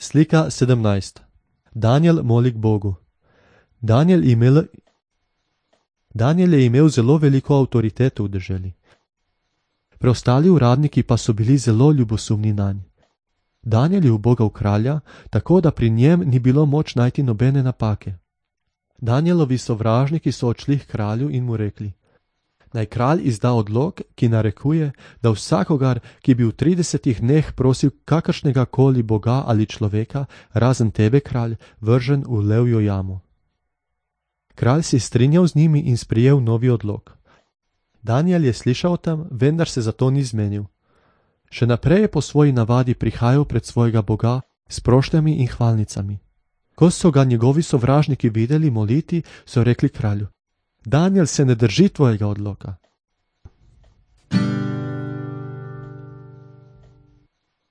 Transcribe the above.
Slika 17. Danijel moli k Bogu. Danijel je imel zelo veliko avtoriteto v deželi. Preostali uradniki pa so bili zelo ljubosumni nanj. Danijel je ubogal kralja, tako da pri njem ni bilo moč najti nobene napake. Danijelovi sovražniki so odšli k kralju in mu rekli: naj kralj izda odlok, ki narekuje, da vsakogar, ki bi v 30 dneh prosil kakršnega koli boga ali človeka, razen tebe, kralj, vržen v levjo jamo. Kralj se je strinjal z njimi in sprejel novi odlok. Danijel je slišal o tem, vendar se zato ni zmenil. Še naprej je po svoji navadi prihajal pred svojega boga s prošnjami in hvalnicami. Ko so ga njegovi sovražniki videli moliti, so rekli kralju: Danijel se ne drži tvojega odloka.